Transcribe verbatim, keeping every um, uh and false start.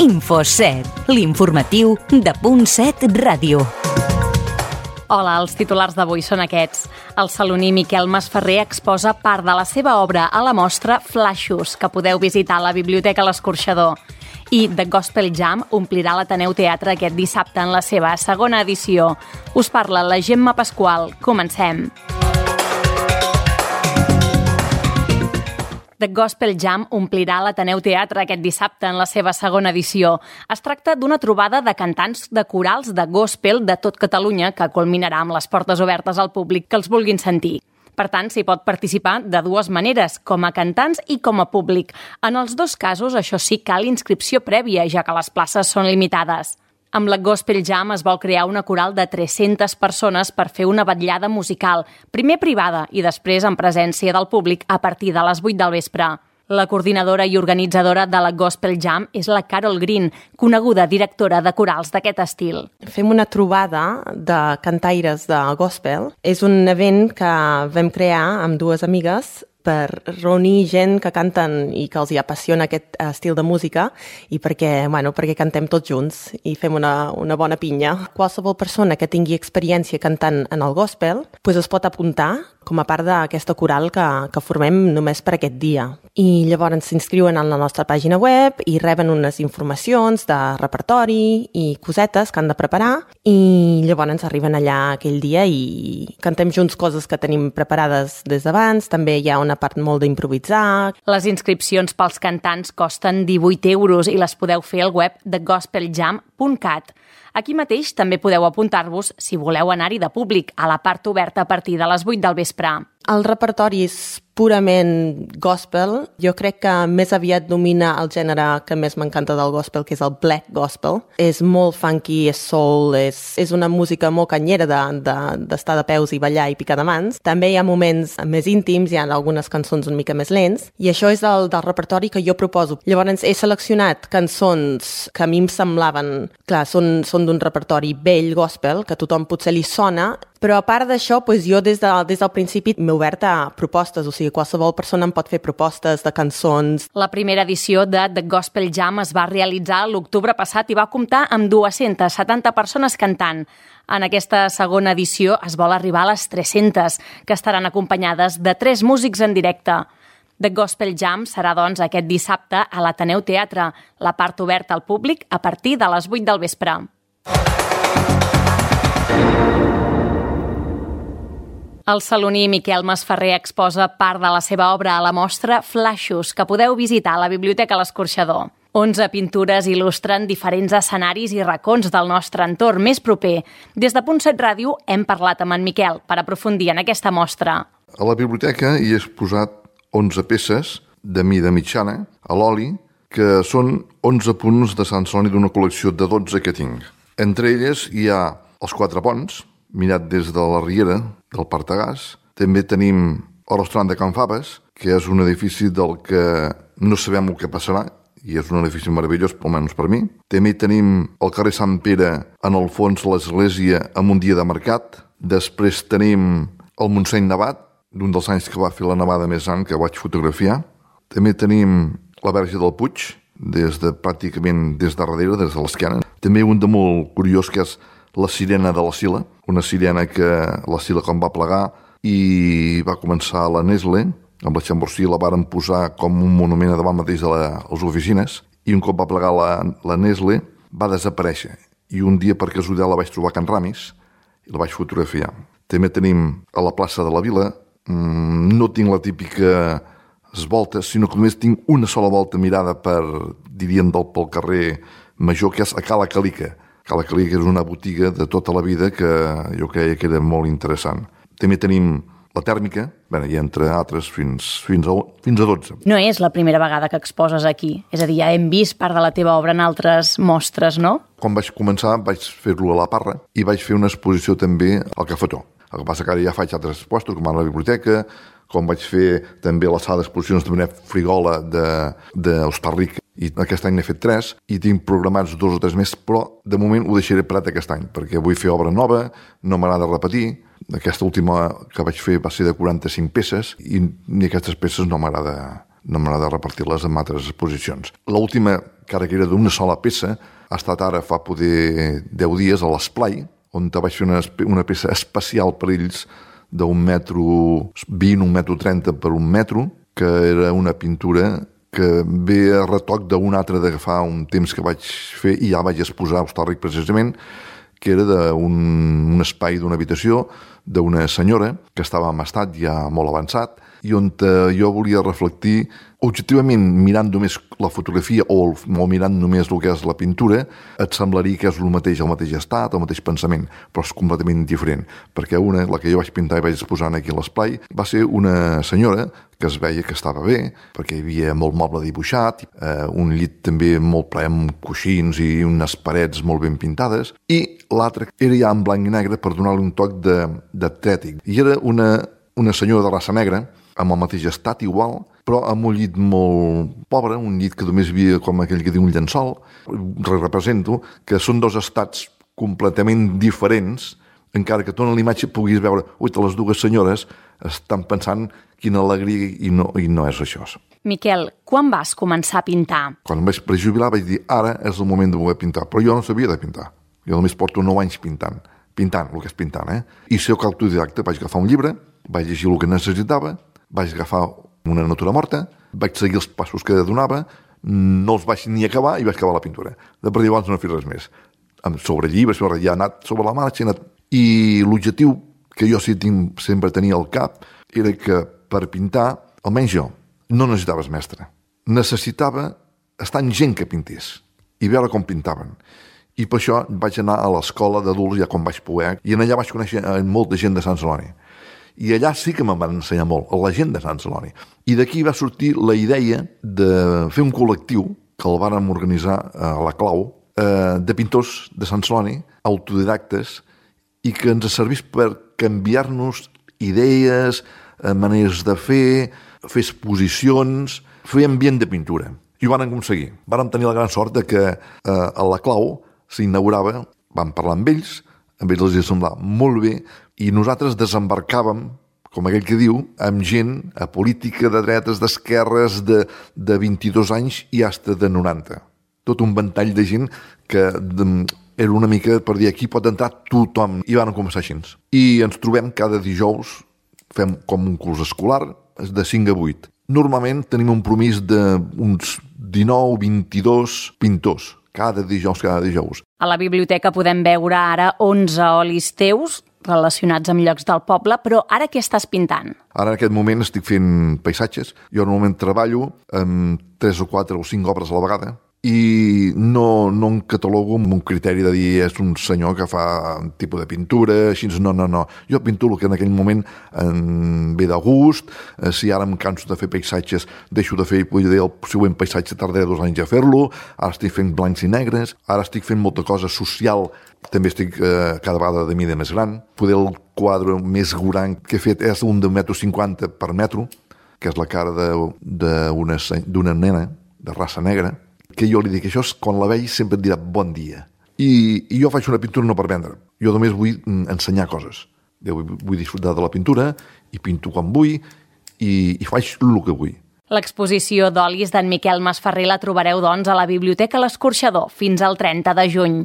Infoset, l'informatiu de Punt set Ràdio. Hola, els titulars d'avui són aquests. El saloní Miquel Masferrer exposa part de la seva obra a la mostra Flaixos, que podeu visitar a la Biblioteca L'Escorxador. I The Gospel Jam omplirà l'Ateneu Teatre aquest dissabte en la seva segona edició. Us parla la Gemma Pasqual. Comencem. The Gospel Jam omplirà l'Ateneu Teatre aquest dissabte en la seva segona edició. Es tracta d'una trobada de cantants de corals de gospel de tot Catalunya que culminarà amb les portes obertes al públic que els vulguin sentir. Per tant, s'hi pot participar de dues maneres, com a cantants i com a públic. En els dos casos, això sí, cal inscripció prèvia, ja que les places són limitades. Amb la Gospel Jam es vol crear una coral de tres-centes persones per fer una vetllada musical, primer privada i després en presència del públic a partir de les vuit del vespre. La coordinadora i organitzadora de la Gospel Jam és la Carol Green, coneguda directora de corals d'aquest estil. Fem una trobada de cantaires de gospel. És un event que vam crear amb dues amigues per reunir gent que canten i que els hi apassiona aquest estil de música i perquè, bueno, perquè cantem tots junts i fem una, una bona pinya. Qualsevol persona que tingui experiència cantant en el gospel pues es pot apuntar com a part d'aquesta coral que, que formem només per aquest dia. I llavors s'inscriuen en la nostra pàgina web i reben unes informacions de repertori i cosetes que han de preparar i llavors arriben allà aquell dia i cantem junts coses que tenim preparades des d'abans. També hi ha una part molt d'improvisar. Les inscripcions pels cantants costen divuit euros i les podeu fer al web de gospel jam punt cat. Aquí mateix també podeu apuntar-vos si voleu anar-hi de públic, a la part oberta a partir de les vuit del vespre. El repertori és purament gospel. Jo crec que més aviat domina el gènere que més m'encanta del gospel, que és el black gospel. És molt funky, és soul, és, és una música molt canyera d'estar de, de, de peus i ballar i picar de mans. També hi ha moments més íntims, hi ha algunes cançons una mica més lents, i això és el del repertori que jo proposo. Llavors he seleccionat cançons que a mi em semblaven, clar, són, són d'un repertori vell gospel, que a tothom potser li sona, però a part d'això, doncs jo des, de, des del principi m'he obert a propostes, o sigui, qualsevol persona em pot fer propostes de cançons. La primera edició de The Gospel Jam es va realitzar l'octubre passat i va comptar amb dues-centes setanta persones cantant. En aquesta segona edició es vol arribar a les tres-centes, que estaran acompanyades de tres músics en directe. The Gospel Jam serà, doncs, aquest dissabte a l'Ateneu Teatre, la part oberta al públic a partir de les vuit del vespre. El saloní Miquel Masferrer exposa part de la seva obra a la mostra Flaixos, que podeu visitar a la Biblioteca L'Escorxador. Onze pintures il·lustren diferents escenaris i racons del nostre entorn més proper. Des de Punt set Ràdio hem parlat amb en Miquel per aprofundir en aquesta mostra. A la biblioteca hi he exposat onze peces de mida mitjana a l'oli, que són onze punts de Sant Celoni d'una col·lecció de dotze que tinc. Entre elles hi ha els quatre ponts, mirat des de la riera del Partagàs. També tenim el restaurant de Can Faves, que és un edifici del que no sabem el que passarà, i és un edifici meravellós, almenys per mi. També tenim el carrer Sant Pere, en el fons l'església, amb un dia de mercat. Després tenim el Montseny nevat, d'un dels anys que va fer la nevada més gran que vaig fotografiar. També tenim la Verge del Puig, des de, pràcticament des de darrere, des de l'esquena. També un de molt curiós, que és la sirena de la Sila, una sirena que la Sila, quan va plegar i va començar la Nestlé, amb la Chamborsí la varen posar com un monument davant mateix de la, les oficines, i un cop va plegar la, la Nestlé va desaparèixer. I un dia, per casualitat, la vaig trobar a Can Ramis i la vaig fotografiar. També tenim a la plaça de la Vila, mmm, no tinc la típica volta, sinó que només tinc una sola volta mirada per, diríem, del, pel carrer Major, que és a Cala Calica. Cala Calica és una botiga de tota la vida que jo creia que era molt interessant. També tenim la tèrmica, bé, i entre altres fins, fins, a, fins a dotze. No és la primera vegada que exposes aquí. És a dir, ja hem vist part de la teva obra en altres mostres, no? Quan vaig començar vaig fer-lo a la Parra i vaig fer una exposició també al Cafetó. El que passa que ara ja faig altres expostos, com a la biblioteca, com vaig fer també la sala d'exposicions de Benet Frigola d'Hostalric, i aquest any n'he fet tres, i tinc programats dos o tres més, però de moment ho deixaré parat aquest any, perquè vull fer obra nova, no m'agrada repetir. Aquesta última que vaig fer va ser de quaranta-cinc peces, i ni aquestes peces no m'agrada no m'agrada repartir-les en altres exposicions. L'última, que ara que era d'una sola peça, ha estat ara fa poder deu dies a l'Esplai, on vaig fer una, una peça especial per ells d'un metro vint, un metro trenta per un metro, que era una pintura que ve a retoc d'un altre d'agafar un temps que vaig fer i ja vaig exposar a Hostalric precisament, que era d'un un espai d'una habitació d'una senyora que estava en estat ja molt avançat i on eh, jo volia reflectir objectivament, mirant només la fotografia o, o mirant només el que és la pintura, et semblaria que és el mateix, el mateix estat, el mateix pensament, però és completament diferent, perquè una, la que jo vaig pintar i vaig exposar aquí a l'Esplai, va ser una senyora que es veia que estava bé, perquè hi havia molt moble dibuixat, eh, un llit també molt ple amb coixins i unes parets molt ben pintades, i l'altra era ja en blanc i negre per donar-li un toc d'atlètic. I era una, una senyora de raça negra, amb el mateix estat igual, però amb un llit molt pobre, un llit que només havia, com aquell que diu, un llençol. Represento que són dos estats completament diferents, encara que tu en l'imatge puguis veure, ui, les dues senyores estan pensant quina alegria i no, i no és això. Miquel, quan vas començar a pintar? Quan em vaig prejubilar vaig dir, ara és el moment de voler pintar, però jo no sabia de pintar. Jo només porto nou anys pintant, pintant, el que és pintant, eh? I soc autodidacte, vaig agafar un llibre, vaig llegir el que necessitava, vaig agafar una natura morta, vaig seguir els passos que donava, no els vaig ni acabar i vaig acabar la pintura. De per llavors no he fet res més. Sobre llibres, sobre, ja he anat sobre la marxa, anat... i l'objectiu que jo sí tinc, sempre tenia al cap era que per pintar, almenys jo, no necessitaves mestre. Necessitava estar amb gent que pintés i veure com pintaven. I per això vaig anar a l'escola d'adults ja quan vaig poder, i en allà vaig conèixer molta gent de Sant Celoni. I allà sí que me'n van ensenyar molt, la gent de Sant Celoni. I d'aquí va sortir la idea de fer un col·lectiu, que el vàrem organitzar a la Clau, de pintors de Sant Celoni, autodidactes, i que ens servís per canviar-nos idees, maneres de fer, fer exposicions, fer ambient de pintura. I ho van aconseguir. Vàrem tenir la gran sort de que a la Clau s'inaugurava, vam parlar amb ells, amb ells els semblava molt bé, i nosaltres desembarcàvem, com aquell que diu, amb gent a política de dretes, d'esquerres, de, de vint-i-dos anys i hasta de noranta. Tot un ventall de gent que de, era una mica per dir aquí pot entrar tothom. I van començar així. I ens trobem cada dijous, fem com un curs escolar, de cinc a vuit. Normalment tenim un promís d'uns dinou, vint-i-dos pintors, cada dijous, cada dijous. A la biblioteca podem veure ara onze olis teus relacionats amb llocs del poble, però ara què estàs pintant? Ara en aquest moment estic fent paisatges. Jo normalment treballo amb tres o quatre o cinc obres a la vegada i no, no em catalogo amb un criteri de dir és un senyor que fa un tipus de pintura, així, no, no, no. Jo pinto el que en aquell moment em ve de gust. Si ara em canso de fer paisatges, deixo de fer, vull dir, el següent paisatge tardaré dos anys a fer-lo. Ara estic fent blancs i negres, ara estic fent molta cosa social, també estic eh, cada vegada de mida més gran. Poder el quadre més gran que he fet és un de un metro cinquanta per metro, que és la cara d'una nena de raça negra, que jo li dic, això és, quan la veig sempre et dirà bon dia. I, i jo faig una pintura no per vendre, jo només vull ensenyar coses. Jo vull, vull disfrutar de la pintura i pinto quan vull i, i faig el que vull. L'exposició d'olis d'en Miquel Masferrer la trobareu, doncs, a la Biblioteca L'Escorxador fins al trenta de juny.